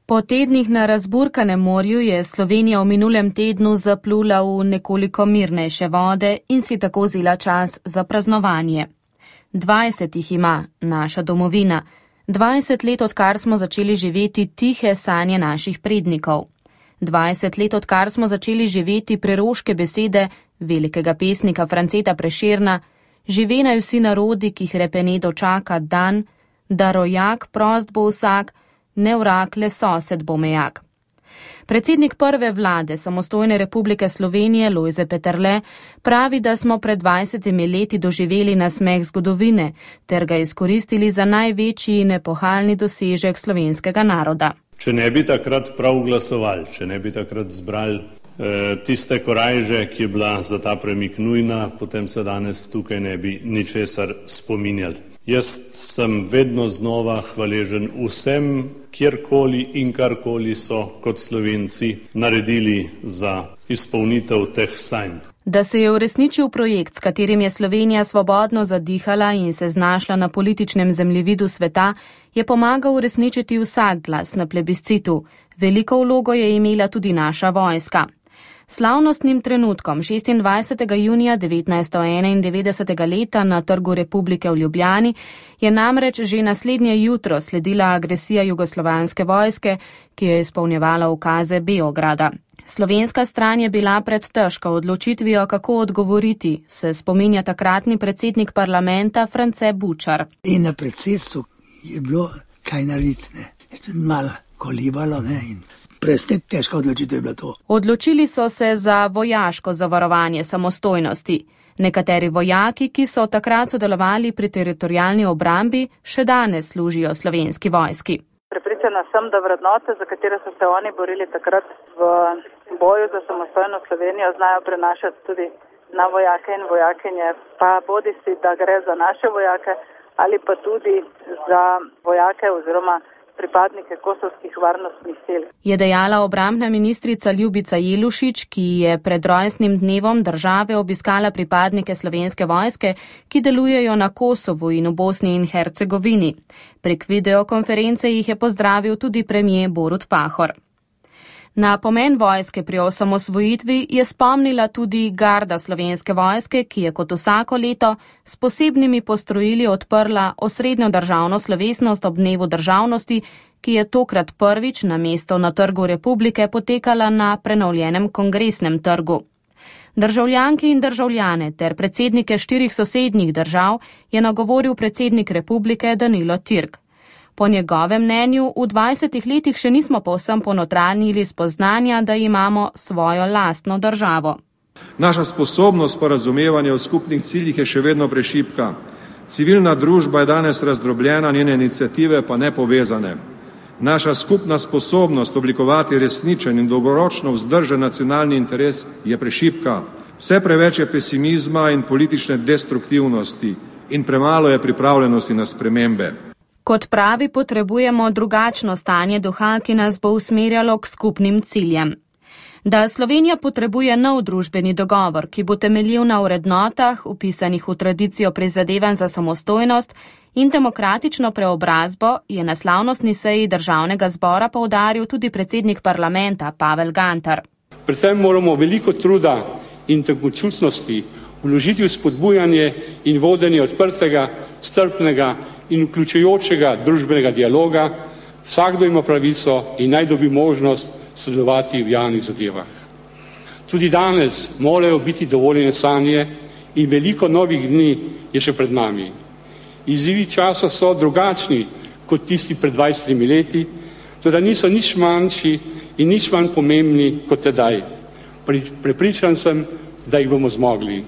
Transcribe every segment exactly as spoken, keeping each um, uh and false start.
Po tednih na razburkanem morju je Slovenija v minulem tednu zaplula v nekoliko mirnejše vode in si tako vzela čas za praznovanje. Dvajset jih ima naša domovina, dvajset let, odkar smo začeli živeti tihe sanje naših prednikov. Dvajset let, odkar smo začeli živeti preroške besede velikega pesnika Franceta Prešerna, živenaj vsi narodi, ki jih repene dočaka dan, da rojak prost bo vsak, ne vrak le sosed bo mejak. Predsednik prve vlade samostojne Republike Slovenije Lojze Peterle pravi, da smo pred dvajsetimi leti doživeli nasmeh zgodovine ter ga izkoristili za največji in epohalni dosežek slovenskega naroda. Če ne bi takrat prav glasovali, če ne bi takrat zbrali eh, tiste korajže, ki je bila za ta premik nujna, potem se danes tukaj ne bi ničesar spominjali. Jaz sem vedno znova hvaležen vsem, kjerkoli in karkoli so kot Slovenci naredili za izpolnitev teh sanj. Da se je uresničil projekt, s katerim je Slovenija svobodno zadihala in se znašla na političnem zemljevidu sveta, je pomagal uresničiti vsak glas na plebiscitu. Veliko vlogo je imela tudi naša vojska. Slavnostnim trenutkom šestindvajsetega junija devetnajststo enaindevetdesetega leta na Trgu Republike v Ljubljani je namreč že naslednje jutro sledila agresija jugoslovanske vojske, ki je izpolnjevala ukaze Beograda. Slovenska stran je bila pred težko odločitvijo, kako odgovoriti, se spominja takratni predsednik parlamenta France Bučar. In na predsedstvu je bilo kaj narediti, ne. Je tudi malo kolibalo, ne, in Prestet težka odločitev je bila to. Odločili so se za vojaško zavarovanje samostojnosti. Nekateri vojaki, ki so takrat sodelovali pri teritorialni obrambi, še danes služijo slovenski vojski. Prepričana sem, da vrednote, za katere so se oni borili takrat v boju za samostojno Slovenijo, znajo prenašati tudi na vojake in vojakinje, pa bodi si, da gre za naše vojake ali pa tudi za vojake oziroma pripadnike kosovskih varnostnih sil. Je dejala obrambna ministrica Ljubica Jelušič, ki je pred rojstnim dnevom države obiskala pripadnike slovenske vojske, ki delujejo na Kosovu in v Bosni in Hercegovini. Prek videokonference jih je pozdravil tudi premier Borut Pahor. Na pomen vojske pri osamosvojitvi je spomnila tudi garda slovenske vojske, ki je kot vsako leto s posebnimi postrojili odprla osrednjo državno slovesnost ob dnevu državnosti, ki je tokrat prvič na mesto na Trgu Republike potekala na prenovljenem Kongresnem trgu. Državljanke in državljane ter predsednike štirih sosednjih držav je nagovoril predsednik Republike Danilo Türk. Po njegovem mnenju v dvajsetih letih še nismo povsem ponotranjili spoznanja, da imamo svojo lastno državo. Naša sposobnost porazumevanja v skupnih ciljih je še vedno prešibka. Civilna družba je danes razdrobljena, njene iniciative pa nepovezane. Naša skupna sposobnost oblikovati resničen in dolgoročno vzdržen nacionalni interes je prešibka. Vse preveč je pesimizma in politične destruktivnosti in premalo je pripravljenosti na spremembe. Kot pravi, potrebujemo drugačno stanje duha, ki nas bo usmerjalo k skupnim ciljem. Da Slovenija potrebuje nov družbeni dogovor, ki bo temeljil na vrednotah, vpisanih v tradicijo prizadevanj za samostojnost in demokratično preobrazbo, je na slavnostni seji državnega zbora poudaril tudi predsednik parlamenta Pavel Gantar. Predvsem moramo veliko truda in tankočutnosti vložiti v spodbujanje in vodenje odprtega, strpnega in vključujočega družbenega dialoga. Vsakdo ima pravico in naj dobi možnost sodelovati v javnih zadevah. Tudi danes morajo biti dovoljene sanje in veliko novih dni je še pred nami. Izzivi časa so drugačni kot tisti pred dvajsetimi leti, toda niso nič manjši in nič manj pomembni kot tedaj. Prepričan sem, da jih bomo zmogli.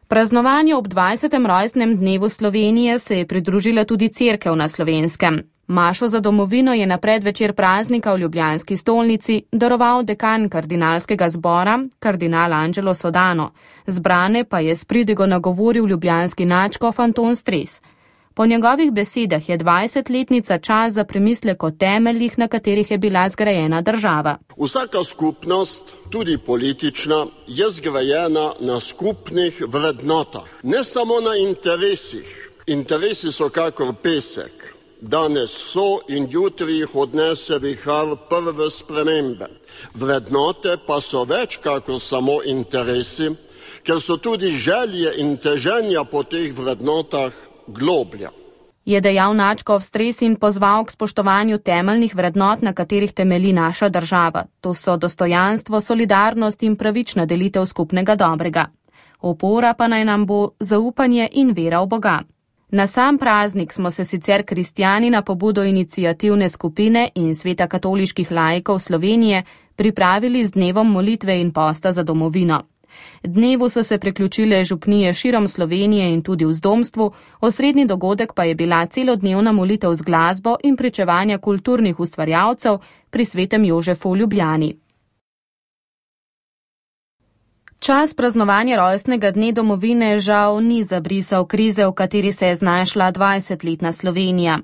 Praznovanju ob dvajsetem rojstnem dnevu Slovenije se je pridružila tudi cerkev na Slovenskem. Mašo za domovino je na predvečer praznika v ljubljanski stolnici daroval dekan kardinalskega zbora, kardinal Angelo Sodano. Zbrane pa je s pridigo nagovoril ljubljanski nadškof Anton Stres. Po njegovih besedah je dvajsetletnica čas za premislek o temeljih, na katerih je bila zgrajena država. Vsaka skupnost, tudi politična, je zgrajena na skupnih vrednotah, ne samo na interesih. Interesi so kakor pesek. danes so in jutri jih odnese vihar prve spremembe. Vrednote pa so več kakor samo interesi, ker so tudi želje in teženja po teh vrednotah globlja. Je dejal Načkov stres in pozval k spoštovanju temeljnih vrednot, na katerih temelji naša država. To so dostojanstvo, solidarnost in pravična delitev skupnega dobrega. Opora pa naj nam bo zaupanje in vera v Boga. Na sam praznik smo se sicer kristjani na pobudo iniciativne skupine in Sveta katoliških laikov Slovenije pripravili z dnevom molitve in posta za domovino. Dnevu so se priključile župnije širom Slovenije in tudi v zdomstvu, osrednji dogodek pa je bila celodnevna molitev z glasbo in pričevanja kulturnih ustvarjalcev pri Svetem Jožefu v Ljubljani. Čas praznovanja rojstnega dne domovine žal ni zabrisal krize, v kateri se je znašla dvajsetletna Slovenija.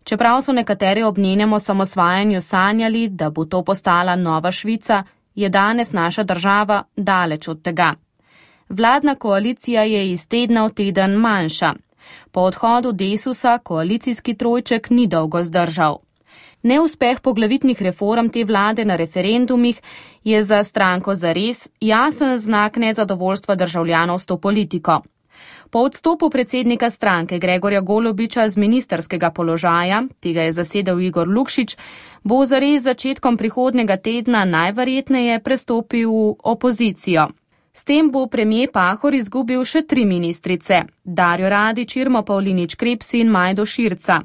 Čeprav so nekateri ob njenem osamosvajanju sanjali, da bo to postala nova Švica, je danes naša država daleč od tega. Vladna koalicija je iz tedna v teden manjša. Po odhodu Desusa koalicijski trojček ni dolgo zdržal. Neuspeh poglavitnih reform te vlade na referendumih je za stranko Zares jasen znak nezadovoljstva državljanov s to politiko. Po odstopu predsednika stranke Gregorja Golobiča z ministrskega položaja, tega je zasedel Igor Lukšič, bo Zares začetkom prihodnega tedna najverjetneje prestopil v opozicijo. S tem bo premier Pahor izgubil še tri ministrice, Darjo Radić, Irmo Pavlinič Krepsi in Majdo Širca.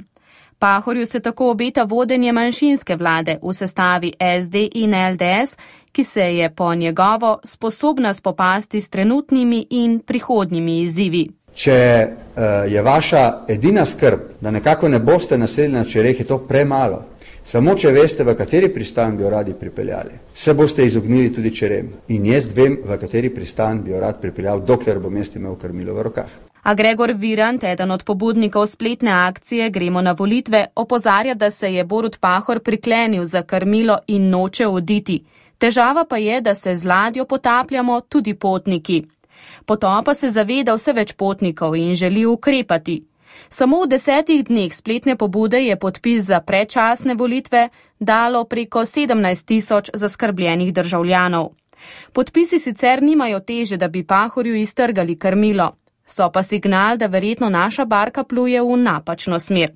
Pahorju se tako obeta vodenje manjšinske vlade v sestavi S D in L D S, ki se je po njegovo sposobna spopasti s trenutnimi in prihodnjimi izzivi. Če uh, je vaša edina skrb, da nekako ne boste nasedli na čereh, je to premalo. Samo če veste, v kateri pristan bi jo radi pripeljali, se boste izognili tudi čerem. In jaz vem, v kateri pristan bi jo rad pripeljal, dokler bom jaz imel krmilo v rokah. A Gregor Virant, eden od pobudnikov spletne akcije Gremo na volitve, opozarja, da se je Borut Pahor priklenil za krmilo in noče oditi. Težava pa je, da se z ladjo potapljamo tudi potniki. Potopa se zaveda vse več potnikov in želi ukrepati. Samo v desetih dneh spletne pobude je podpis za predčasne volitve dalo preko sedemnajst tisoč zaskrbljenih državljanov. Podpisi sicer nimajo teže, da bi Pahorju iztrgali krmilo. So pa signal, da verjetno naša barka pluje v napačno smer.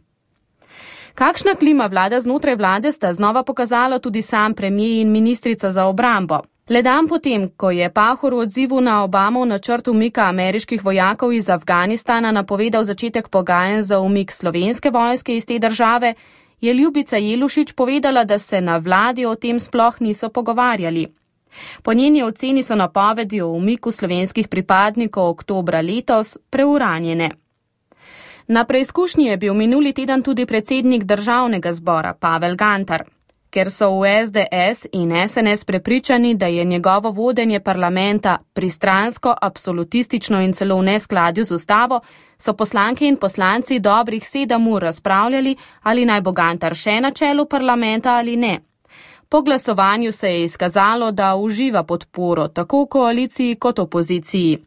Kakšna klima vlada znotraj vlade sta znova pokazala tudi sam premier in ministrica za obrambo. Le dan potem, ko je Pahor v odzivu na Obamov načrt umika ameriških vojakov iz Afganistana napovedal začetek pogajanj za umik slovenske vojske iz te države, je Ljubica Jelušič povedala, da se na vladi o tem sploh niso pogovarjali. Po njeni oceni so napovedi o umiku slovenskih pripadnikov oktobra letos preuranjene. Na preizkušnji je bil minuli teden tudi predsednik državnega zbora Pavel Gantar. Ker so v S D S in S N S prepričani, da je njegovo vodenje parlamenta pristransko, absolutistično in celo v neskladju z ustavo, so poslanke in poslanci dobrih sedem ur razpravljali, ali naj bo Gantar še na čelu parlamenta ali ne. Po glasovanju se je izkazalo, da uživa podporo tako v koaliciji kot opoziciji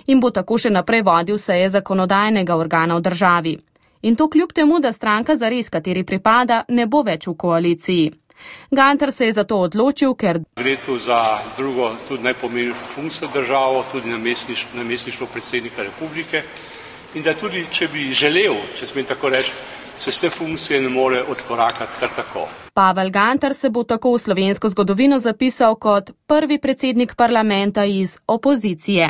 in bo tako še naprej vodil seje zakonodajnega organa v državi. In to kljub temu, da stranka Zares, kateri pripada, ne bo več v koaliciji. Gantar se je zato odločil, ker gre tu za drugo, tudi najpomembnejšo funkcijo državo, tudi namestništvo predsednika republike in da tudi, če bi želel, če smem tako reči, se z te funkcije ne more odkorakati kar tako. Pavel Gantar se bo tako v slovensko zgodovino zapisal kot prvi predsednik parlamenta iz opozicije.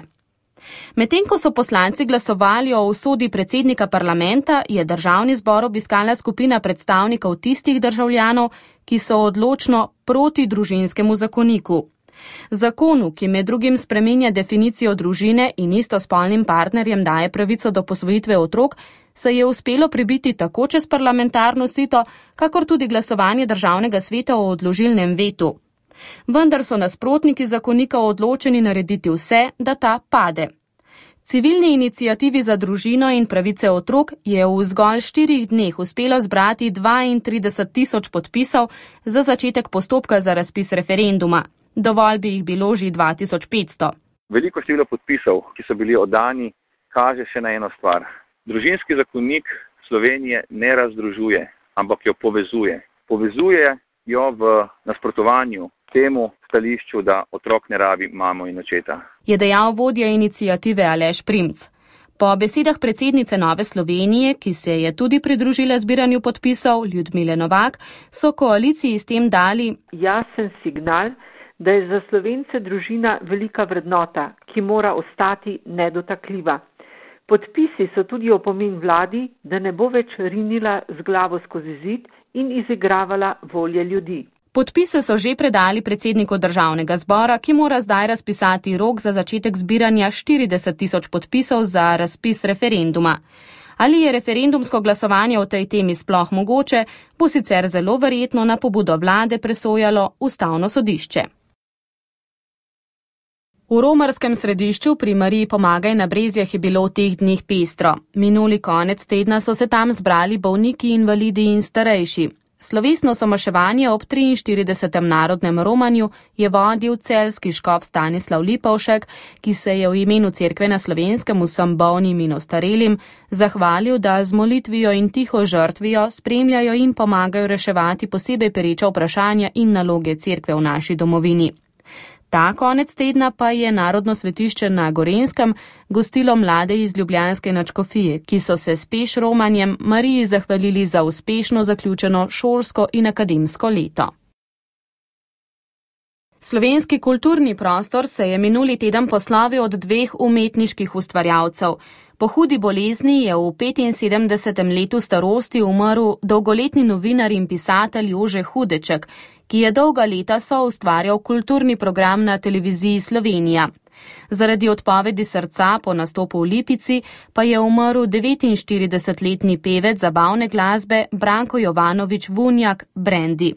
Medtem ko so poslanci glasovali o usodi predsednika parlamenta, je državni zbor obiskala skupina predstavnikov tistih državljanov, ki so odločno proti družinskemu zakoniku. Zakonu, ki med drugim spreminja definicijo družine in istospolnim partnerjem daje pravico do posvojitve otrok, se je uspelo prebiti tako čez parlamentarno sito, kakor tudi glasovanje državnega sveta o odložilnem vetu. Vendar so nasprotniki zakonika odločeni narediti vse, da ta pade. Civilni iniciativi za družino in pravice otrok je v zgolj štirih dneh uspelo zbrati dvaintrideset tisoč podpisov za začetek postopka za razpis referenduma. Dovolj bi jih bilo že dva tisoč petsto. Veliko število podpisov, ki so bili oddani, kaže še na eno stvar. Družinski zakonik Slovenije ne razdružuje, ampak jo povezuje. Povezuje jo v nasprotovanju temu stališču, da otrok ne rabi mamo in očeta. Je dejal vodja iniciative Aleš Primc. Po besedah predsednice Nove Slovenije, ki se je tudi pridružila zbiranju podpisov, Ljudmile Novak, so koaliciji s tem dali jasen signal, da je za Slovence družina velika vrednota, ki mora ostati nedotakljiva. Podpisi so tudi opomin vladi, da ne bo več rinila z glavo skozi zid in izigravala volje ljudi. Podpise so že predali predsedniku državnega zbora, ki mora zdaj razpisati rok za začetek zbiranja štirideset tisoč podpisov za razpis referenduma. Ali je referendumsko glasovanje o tej temi sploh mogoče, bo sicer zelo verjetno na pobudo vlade presojalo Ustavno sodišče. V romarskem središču pri Mariji Pomagaj na Brezjah je bilo v teh dneh pestro. Minuli konec tedna so se tam zbrali bolniki, invalidi in starejši. Slovesno somaševanje ob triinštiridesetem narodnem romanju je vodil celjski škof Stanislav Lipovšek, ki se je v imenu cerkve na Slovenskem vsem bolnim in ostarelim zahvalil, da z molitvijo in tiho žrtvijo spremljajo in pomagajo reševati posebej pereča vprašanja in naloge cerkve v naši domovini. Ta konec tedna pa je Narodno svetišče na Gorenjskem gostilo mlade iz ljubljanske nadškofije, ki so se s peš romanjem Mariji zahvalili za uspešno zaključeno šolsko in akademsko leto. Slovenski kulturni prostor se je minuli teden poslovil od dveh umetniških ustvarjalcev. Po hudi bolezni je v petinsedemdesetem letu starosti umrl dolgoletni novinar in pisatelj Jože Hudeček, ki je dolga leta soustvarjal kulturni program na televiziji Slovenija. Zaradi odpovedi srca po nastopu v Lipici pa je umrl devetinštiridesetletni pevec zabavne glasbe Branko Jovanović Vunjak Brendi.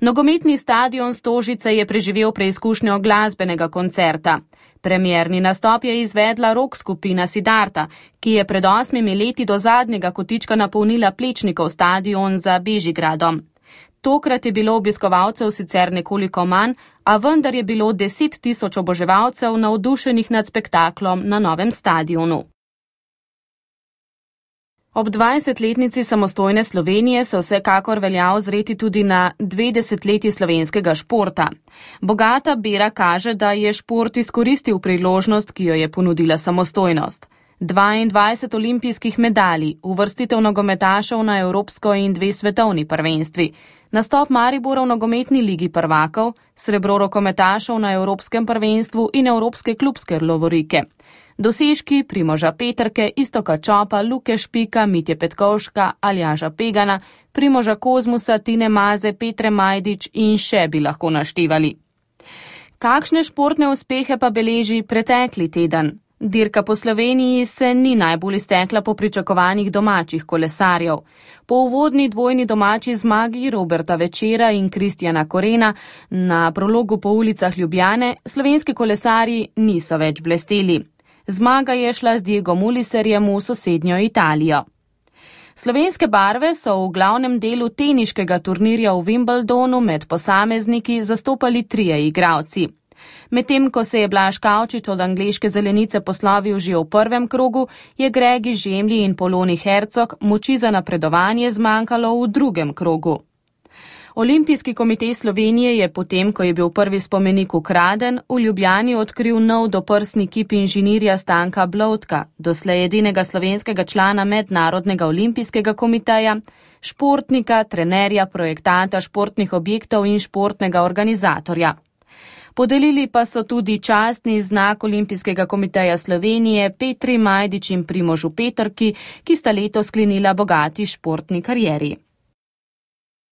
Nogometni stadion Stožice je preživel preizkušnjo glasbenega koncerta. Premierni nastop je izvedla rock skupina Sidarta, ki je pred osmimi leti do zadnjega kotička napolnila Plečnikov stadion za Bežigradom. Tokrat je bilo obiskovalcev sicer nekoliko manj, a vendar je bilo deset tisoč oboževalcev navdušenih nad spektaklom na novem stadionu. Ob dvajsetletnici samostojne Slovenije se vsekakor velja ozreti tudi na dve desetletji slovenskega športa. Bogata bera kaže, da je šport izkoristil priložnost, ki jo je ponudila samostojnost. dvaindvajset olimpijskih medalj, uvrstitev nogometašev na evropsko in dve svetovni prvenstvi, nastop Maribora v nogometni ligi prvakov, srebro rokometašev na evropskem prvenstvu in evropske klubske lovorike. Dosežki Primoža Peterke, Iztoka Čopa, Luke Špika, Mitje Petkovška, Aljaža Pegana, Primoža Kozmusa, Tine Maze, Petre Majdič in še bi lahko naštevali. Kakšne športne uspehe pa beleži pretekli teden? Dirka po Sloveniji se ni najbolj iztekla po pričakovanjih domačih kolesarjev. Po uvodni dvojni domači zmagi Roberta Večera in Kristjana Korena na prologu po ulicah Ljubljane slovenski kolesarji niso več blesteli. Zmaga je šla z Diegom Uliserjem v sosednjo Italijo. Slovenske barve so v glavnem delu teniškega turnirja v Wimbledonu med posamezniki zastopali trije igralci. Medtem ko se je Blaž Kavčič od angleške zelenice poslovil že v prvem krogu, je Gregi Žemlji in Poloni Hercog moči za napredovanje zmanjkalo v drugem krogu. Olimpijski komitej Slovenije je potem, ko je bil prvi spomenik ukraden, v Ljubljani odkril nov doprsni kip inženirja Stanka Blovtka, doslej edinega slovenskega člana Mednarodnega olimpijskega komiteja, športnika, trenerja, projektanta športnih objektov in športnega organizatorja. Podelili pa so tudi častni znak Olimpijskega komiteja Slovenije Petri Majdič in Primožu Petrki, ki sta letos sklenila bogati športni karieri.